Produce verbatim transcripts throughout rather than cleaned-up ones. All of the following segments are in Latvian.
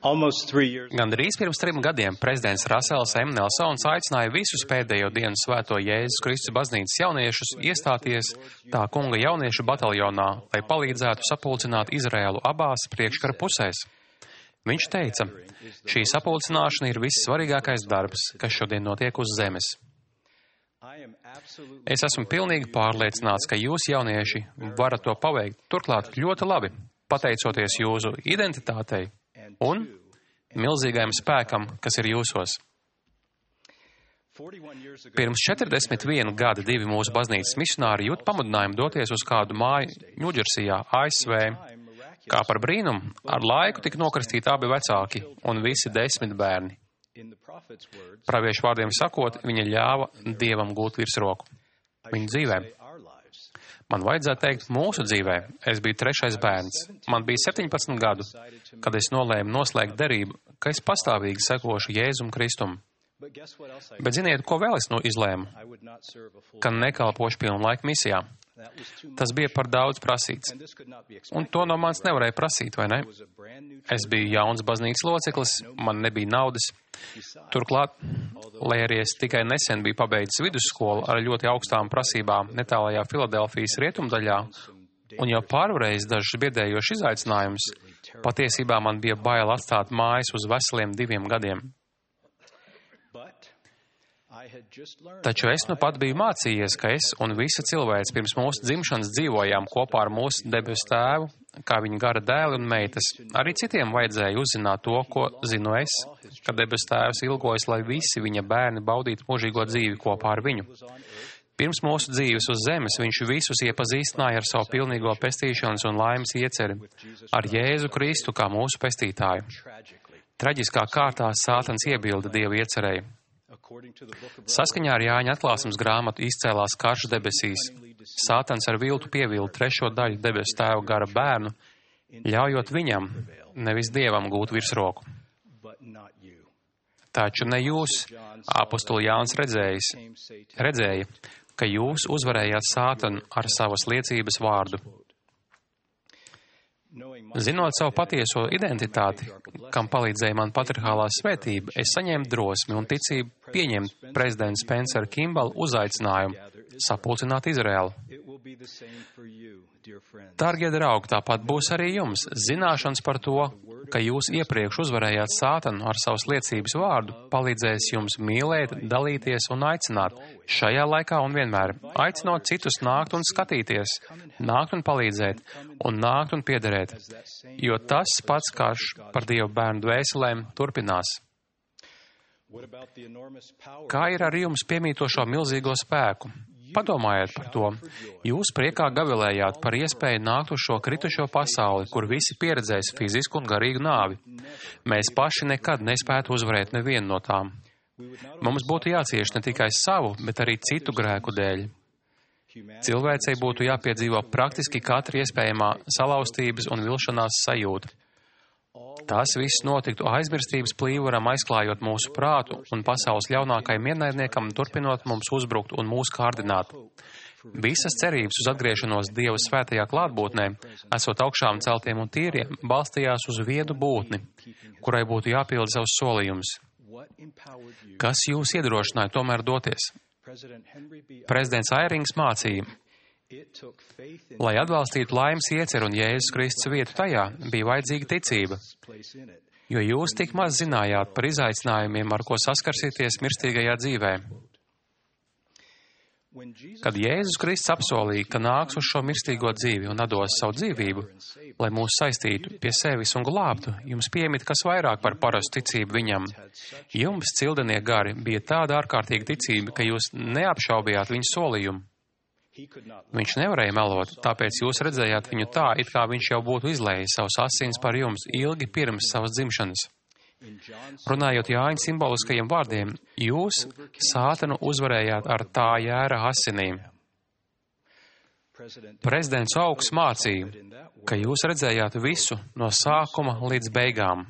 Gandrīz pirms trim gadiem prezidents Rasels M. Nelsons aicināja visus pēdējo dienu svēto Jēzus Kristus baznīcas jauniešus iestāties tā kunga jauniešu bataljonā, lai palīdzētu sapulcināt Izraēlu abās priekškara pusēs. Viņš teica, šī sapulcināšana ir vissvarīgākais darbs, kas šodien notiek uz zemes. Es esmu pilnīgi pārliecināts, ka jūs, jaunieši, varat to paveikt, turklāt ļoti labi, pateicoties jūsu identitātei un milzīgajam spēkam, kas ir jūsos. Pirms četrdesmit viena gada divi mūsu baznīcas misionāri jūt pamudinājumu doties uz kādu māju Ņūdžersijā, A S V. Kā par brīnumu, ar laiku tika nokristīti abi vecāki un visi desmit bērni. Praviešu vārdiem sakot, viņa ļāva Dievam gūt virsroku viņa dzīvē. Man vajadzētu teikt, mūsu dzīvē. Es biju trešais bērns. Man bija septiņpadsmit gadu, kad es nolēmu noslēgt derību, ka es pastāvīgi sekošu Jēzum Kristum. Bet ziniet, ko vēl es nu izlēmu? Ka nekalpošu pilnu laiku misijā. Tas bija par daudz prasīts. Un to no manis nevarēja prasīt, vai ne? Es biju jauns baznīcas loceklis, man nebija naudas. Turklāt, lai arī es tikai nesen biju pabeidzis vidusskolu ar ļoti augstām prasībām netālajā Filadelfijas rietumdaļā un jau pārvarējis dažus biedējošus izaicinājumus, patiesībā man bija bail atstāt mājas uz veseliem diviem gadiem. Taču es nu pat biju mācījies, ka es un visa cilvēks pirms mūsu dzimšanas dzīvojām kopā ar mūsu debesu tēvu, kā viņa gara dēli un meitas. Arī citiem vajadzēja uzzināt to, ko zinu es, ka debesu tēvs ilgojas, lai visi viņa bērni baudītu mūžīgo dzīvi kopā ar viņu. Pirms mūsu dzīves uz zemes viņš visus iepazīstināja ar savu pilnīgo pestīšanas un laimes ieceri, ar Jēzu Kristu kā mūsu pestītāju. Traģiskā kārtā Sātans iebilda Dievu iecerēju. Saskaņā ar Jāņa atklāsmes grāmatu izcēlās karš debesīs. Sātans ar viltu pievilda trešo daļu debesu tēva gara bērnu, ļaujot viņam, nevis Dievam gūt virsroku. Taču ne jūs, apostuli Jānis redzējis, redzēja, ka jūs uzvarējāt Sātanu ar savas liecības vārdu. Zinot savu patieso identitāti, kam palīdzēja man patriarchālā svētība, es saņēmu drosmi un ticību pieņemt prezidenta Spencera Kimbala uzaicinājumu sapulcināt Izraēlu. Dargie draugi, tāpat būs arī jums. Zināšanas par to, ka jūs iepriekš uzvarējāt Sātanu ar savas liecības vārdu, palīdzēs jums mīlēt, dalīties un aicināt šajā laikā un vienmēr. Aicinot citus nākt un skatīties, nākt un palīdzēt un nākt un piederēt, jo tas pats karš par Dievu bērnu dvēselēm turpinās. Kā ir ar jums piemītošo milzīgo spēku? Padomājiet par to. Jūs priekā gavilējāt par iespēju nākt uz šo kritušo pasauli, kur visi pieredzēs fizisku un garīgu nāvi. Mēs paši nekad nespētu uzvarēt nevienu no tām. Mums būtu jācieš ne tikai savu, bet arī citu grēku dēļ. Cilvēcei būtu jāpiedzīvo praktiski katra iespējamā salauztības un vilšanās sajūta. Tas viss notiktu aizmirstības plīvuram, aizklājot mūsu prātu un pasaules ļaunākajam ienaidniekam, turpinot mums uzbrukt un mūs kārdināt. Visas cerības uz atgriešanos Dieva svētajā klātbūtnē, esot augšām celtiem un tīriem, balstījās uz viedu būtni, kurai būtu jāpilda savs solījums. Kas jūs iedrošināja tomēr doties? Prezidents Airings mācīja, lai atbalstītu laimes ieceru un Jēzus Kristus vietu tajā, bija vajadzīga ticība, jo jūs tik maz zinājāt par izaicinājumiem, ar ko saskarsieties mirstīgajā dzīvē. Kad Jēzus Kristus apsolīja, ka nāks uz šo mirstīgo dzīvi un atdos savu dzīvību, lai mūs saistītu pie sevis un glābtu, jums piemīt kas vairāk par parastu ticību viņam. Jums, cildenie gari, bija tāda ārkārtīga ticība, ka jūs neapšaubījāt viņa solījumu. Viņš nevarēja melot, tāpēc jūs redzējāt viņu tā, it kā viņš jau būtu izlējis savus asins par jums ilgi pirms savas dzimšanas. Runājot Jāņa simboliskajiem vārdiem, jūs Sātanu uzvarējāt ar tā jēra asinīm. Prezidents Augs mācīja, ka jūs redzējāt visu no sākuma līdz beigām.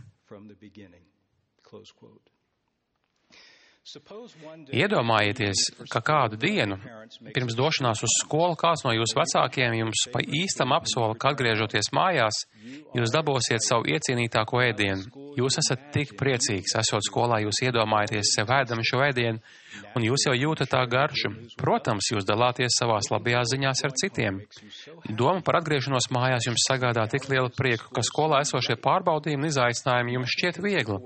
Iedomājieties, ka kādu dienu, pirms došanās uz skolu, kāds no jūsu vecākiem jums pa īstam apsola, ka atgriežoties mājās, jūs dabūsiet savu iecienītāko ēdienu. Jūs esat tik priecīgs, esot skolā, jūs iedomājaties sev ēdam šo ēdienu, un jūs jau jūtat tā garšu. Protams, jūs dalāties savās labajās ziņās ar citiem. Doma par atgriešanos mājās jums sagādā tik lielu prieku, ka skolā esošie pārbaudījumi un izaicinājumi jums šķiet viegli.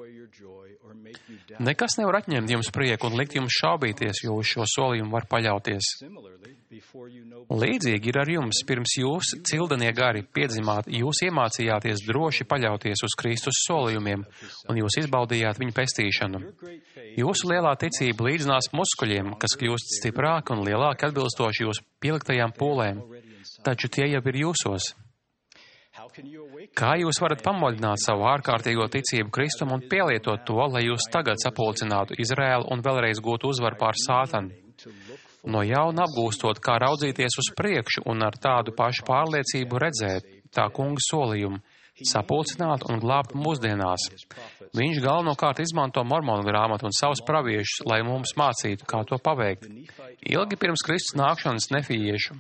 Nekas nevar atņemt jums prieku un likt jums šaubīties, jo uz šo solījumu var paļauties. Līdzīgi ir ar jums, pirms jūs, cildenie gari, piedzimāt, jūs iemācījāties droši paļauties uz Kristus solījumiem, un jūs izbaudījāt viņa pestīšanu. Jūsu lielā ticība līdzinās muskuļiem, kas kļūst stiprāki un lielāki atbilstoši jūsu pieliktajām pūlēm, taču tie jau ir jūsos. Kā jūs varat pamodināt savu ārkārtīgo ticību Kristum un pielietot to, lai jūs tagad sapulcinātu Izraēlu un vēlreiz gūtu uzvaru pār Sātanu? No jauna apgūstot, kā raudzīties uz priekšu un ar tādu pašu pārliecību redzēt tā kunga solījumu, sapulcināt un glābt mūsdienās. Viņš galvenokārt izmanto mormonu grāmatu un savus praviešus, lai mums mācītu, kā to paveikt. Ilgi pirms Kristus nākšanas nefijiešu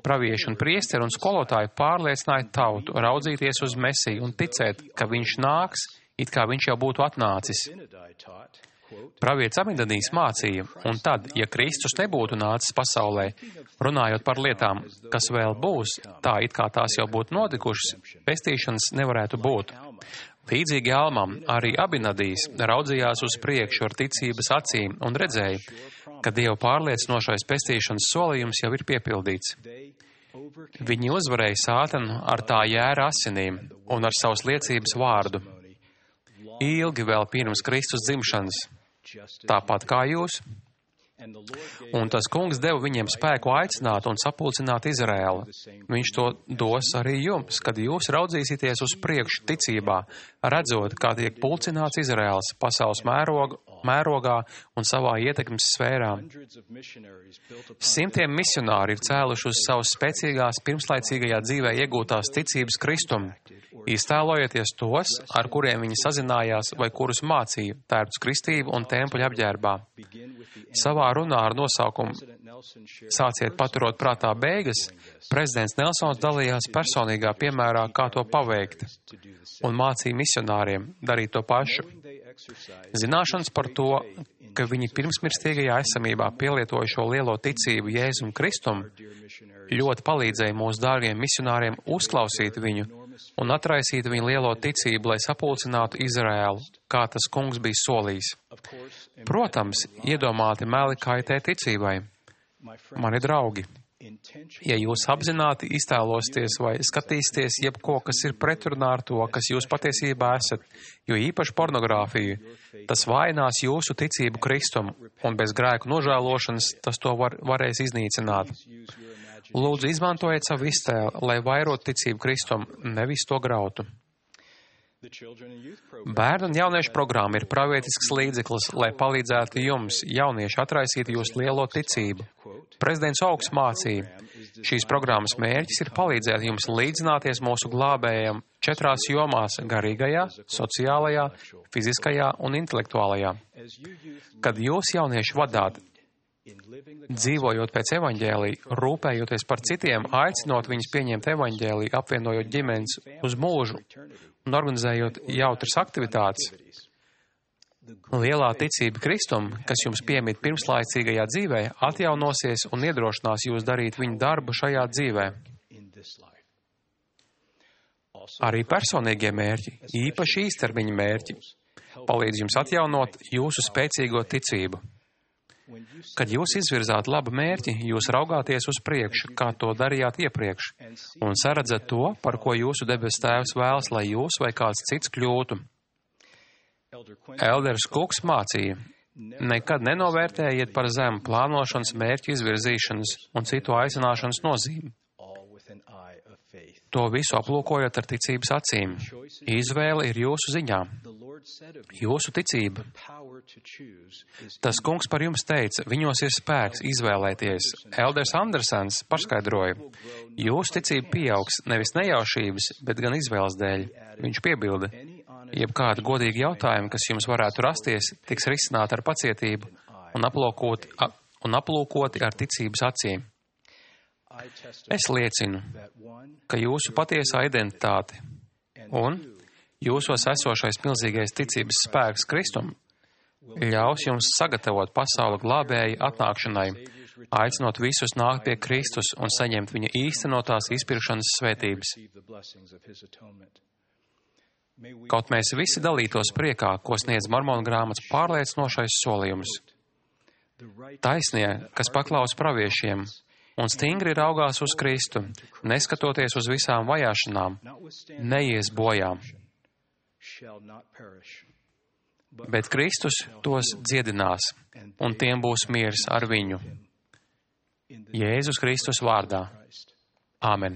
pravieši un priesteri un skolotāji pārliecināja tautu raudzīties uz Mesiju un ticēt, ka viņš nāks, it kā viņš jau būtu atnācis. Pravietis Abinadīs mācīja, un tad, ja Kristus nebūtu nācis pasaulē, runājot par lietām, kas vēl būs, tā it kā tās jau būtu notikušas, pestīšanas nevarētu būt. Līdzīgi Almam, arī Abinadīs raudzījās uz priekšu ar ticības acīm un redzēja, ka Dieva pārliecinošais pestīšanas solījums jau ir piepildīts. Viņi uzvarēja Sātanu ar tā jēra asinīm un ar savas liecības vārdu. Ilgi vēl pirms Kristus dzimšanas, tāpat kā jūs. Un tas kungs deva viņiem spēku aicināt un sapulcināt Izraēlu. Viņš to dos arī jums, kad jūs raudzīsieties uz priekšu ticībā, redzot, kā tiek pulcināts Izraēls pasaules mēroga, mērogā un savā ietekmes sfērā. Simtiem misionāri ir cēluši uz savas spēcīgās pirmslaicīgajā dzīvē iegūtās ticības Kristum. Iztēlojieties tos, ar kuriem viņi sazinājās vai kurus mācīja, tērpts kristību un tempuļa apģērbā. Savā runā ar nosaukumu Sāciet paturot prātā beigas, prezidents Nelsons dalījās personīgā piemērā, kā to paveikt, un mācīja misionāriem darīt to pašu. Zināšanas par to, ka viņi pirmsmirstīgajā esamībā pielietoja šo lielo ticību Jēzum Kristum, ļoti palīdzēja mūsu dārgiem misionāriem uzklausīt viņu un atraisīt viņu lielo ticību, lai sapulcinātu Izraēlu, kā tas kungs bija solījis. Protams, iedomāti meli kaitē ticībai. Mani draugi, ja jūs apzināti iztēlosieties vai skatīsieties jebko, kas ir pretrunā ar to, kas jūs patiesībā esat, jo īpaši pornogrāfiju, tas vājinās jūsu ticību Kristum, un bez grēku nožēlošanas tas to var, varēs iznīcināt. Lūdzu, izmantojiet savu iztēli, lai vairot ticību Kristum, nevis to grautu. Bērnu un jauniešu programma ir pravietisks līdzeklis, lai palīdzētu jums, jaunieši, atraisīt jūsu lielo ticību. Prezidents Augsts mācīja, šīs programmas mērķis ir palīdzēt jums līdzināties mūsu glābējiem četrās jomās - garīgajā, sociālajā, fiziskajā un intelektuālajā. Kad jūs, jaunieši, vadāt, dzīvojot pēc evaņģēlija, rūpējoties par citiem, aicinot viņus pieņemt evaņģēliju, apvienojot ģimenes uz mūžu un organizējot jautras aktivitātes, lielā ticība Kristum, kas jums piemīt pirmslaicīgajā dzīvē, atjaunosies un iedrošinās jūs darīt viņu darbu šajā dzīvē. Arī personīgie mērķi, īpaši īstermiņa mērķi, palīdz jums atjaunot jūsu spēcīgo ticību. Kad jūs izvirzāt labu mērķi, jūs raugāties uz priekšu, kā to darījāt iepriekš, un saredzat to, par ko jūsu debes tēvs vēlas, lai jūs vai kāds cits kļūtu. Elders Kuks mācīja, nekad nenovērtējiet par zemu plānošanas, mērķu izvirzīšanas un citu aicināšanas nozīmi. To visu aplūkojot ar ticības acīm. Izvēle ir jūsu ziņā. Jūsu ticība. Tas kungs par jums teica, viņos ir spēks izvēlēties. Elders Andersens paskaidroja, jūsu ticība pieaugs nevis nejaušības, bet gan izvēles dēļ. Viņš piebilda, jebkādi godīgi jautājumi, kas jums varētu rasties, tiks risināti ar pacietību un aplūkoti, un aplūkoti ar ticības acīm. Es liecinu, ka jūsu patiesā identitāte un Jūsos esošais milzīgais ticības spēks Kristum ļaus jums sagatavot pasauli glābēja atnākšanai, aicinot visus nākt pie Kristus un saņemt viņa īstenotās izpirkšanas svētības. Kaut mēs visi dalītos priekā, ko sniedz Mormonu grāmatas pārliecinošais solījums. Taisnie, kas paklaus praviešiem un stingri raugās uz Kristu, neskatoties uz visām vajāšanām, neies bojā. Bet Kristus tos dziedinās, un tiem būs miers ar viņu. Jēzus Kristus vārdā. Āmen.